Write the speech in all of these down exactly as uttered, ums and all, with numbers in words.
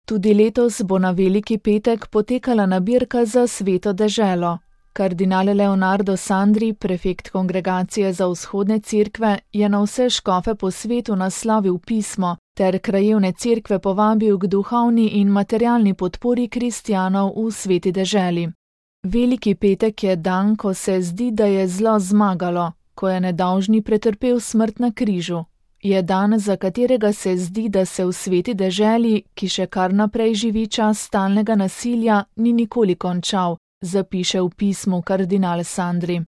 Tudi letos bo na Veliki petek potekala nabirka za Sveto deželo. Kardinal Leonardo Sandri, prefekt Kongregacije za vzhodne cerkve, je na vse škofe po svetu naslovil pismo ter krajevne cerkve povabil k duhovni in materialni podpori kristjanov v Sveti deželi. Veliki petek je dan, ko se zdi, da je zlo zmagalo, ko je nedolžni pretrpel smrt na križu. Je dan, za katerega se zdi, da se v Sveti deželi, ki še kar naprej živi čas stalnega nasilja, ni nikoli končal, zapiše v pismu kardinal Sandri.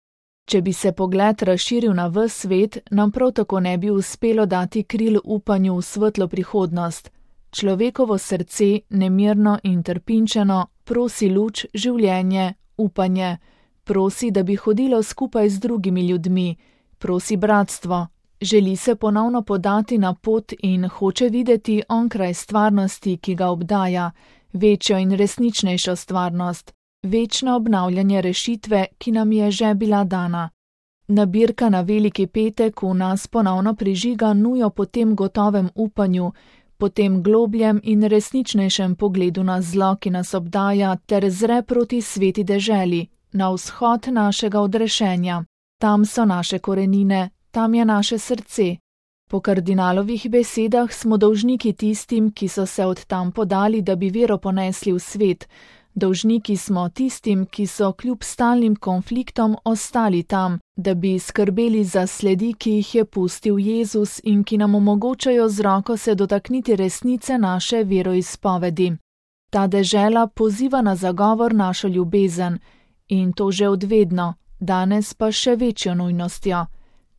Če bi se pogled razširil na ves svet, nam prav tako ne bi uspelo dati kril upanju v svetlo prihodnost. Človekovo srce, nemirno in trpinčeno, prosi luč, življenje, upanje, prosi, da bi hodilo skupaj z drugimi ljudmi, prosi bratstvo, želi se ponovno podati na pot in hoče videti onkraj stvarnosti, ki ga obdaja, večjo in resničnejšo stvarnost, večno obnavljanje rešitve, ki nam je že bila dana. Nabirka na Veliki petek v nas ponovno prižiga nujo po tem gotovem upanju, po tem globljem in resničnejšem pogledu na zlo, ki nas obdaja, ter zre proti Sveti deželi, na vzhod našega odrešenja. Tam so naše korenine, tam je naše srce. Po kardinalovih besedah smo dolžniki tistim, ki so se od tam podali, da bi vero ponesli v svet. Dolžniki smo tistim, ki so kljub stalnim konfliktom ostali tam, da bi skrbeli za sledi, ki jih je pustil Jezus in ki nam omogočajo z roko se dotakniti resnice naše veroizpovedi. Ta dežela poziva na zagovor našo ljubezen, in to že odvedno, danes pa še večjo nujnostjo.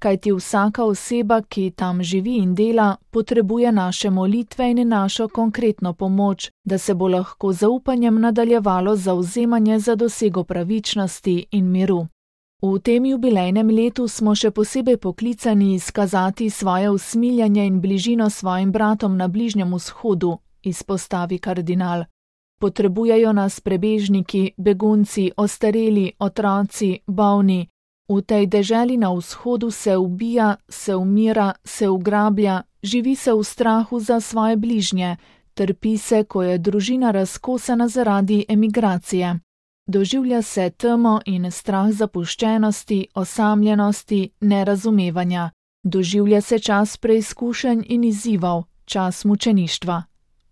Kajti vsaka oseba, ki tam živi in dela, potrebuje naše molitve in našo konkretno pomoč, da se bo lahko zaupanjem nadaljevalo zauzemanje za dosego pravičnosti in miru. V tem jubilejnem letu smo še posebej poklicani izkazati svoje usmiljanje in bližino svojim bratom na Bližnjem vzhodu, izpostavi kardinal. Potrebujejo nas prebežniki, begunci, ostareli, otroci, bolni. V tej deželi na vzhodu se ubija, se umira, se ugrablja, živi se v strahu za svoje bližnje, trpi se, ko je družina razkosana zaradi emigracije. Doživlja se temo in strah zapuščenosti, osamljenosti, nerazumevanja. Doživlja se čas preizkušenj in izzivov, čas mučeništva.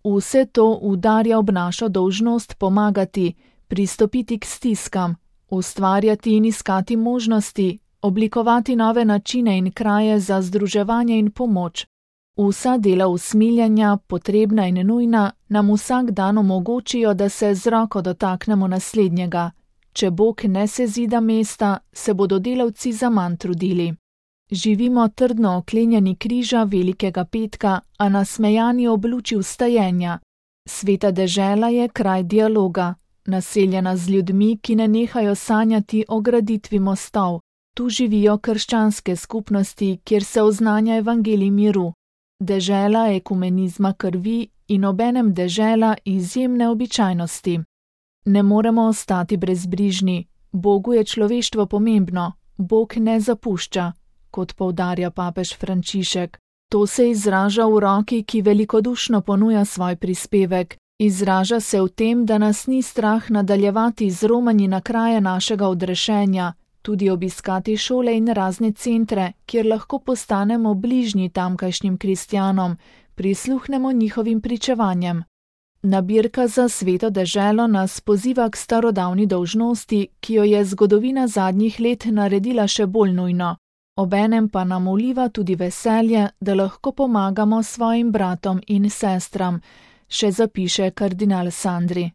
Vse to udarja ob našo dolžnost pomagati, pristopiti k stiskam, ustvarjati in iskati možnosti, oblikovati nove načine in kraje za združevanje in pomoč. Vsa dela usmiljanja, potrebna in nujna, nam vsak dan omogočijo, da se z roko dotaknemo naslednjega. Če Bog ne sezida mesta, se bodo delavci zaman trudili. Živimo trdno oklenjeni križa Velikega petka, a nasmejani ob luči vstajenja. Sveta dežela je kraj dialoga, naseljena z ljudmi, ki ne nehajo sanjati o graditvi mostov. Tu živijo krščanske skupnosti, kjer se oznanja evangelij miru. Dežela ekumenizma krvi in obenem dežela izjemne običajnosti. Ne moremo ostati brezbrižni. Bogu je človeštvo pomembno, Bog ne zapušča, kot poudarja papež Frančišek. To se izraža v roki, ki velikodušno ponuja svoj prispevek. Izraža se v tem, da nas ni strah nadaljevati z romanji na kraje našega odrešenja, tudi obiskati šole in razne centre, kjer lahko postanemo bližnji tamkajšnjim kristjanom, prisluhnemo njihovim pričevanjem. Nabirka za Sveto deželo nas poziva k starodavni dolžnosti, ki jo je zgodovina zadnjih let naredila še bolj nujno. Obenem pa nam vliva tudi veselje, da lahko pomagamo svojim bratom in sestram, še zapiše kardinal Sandri.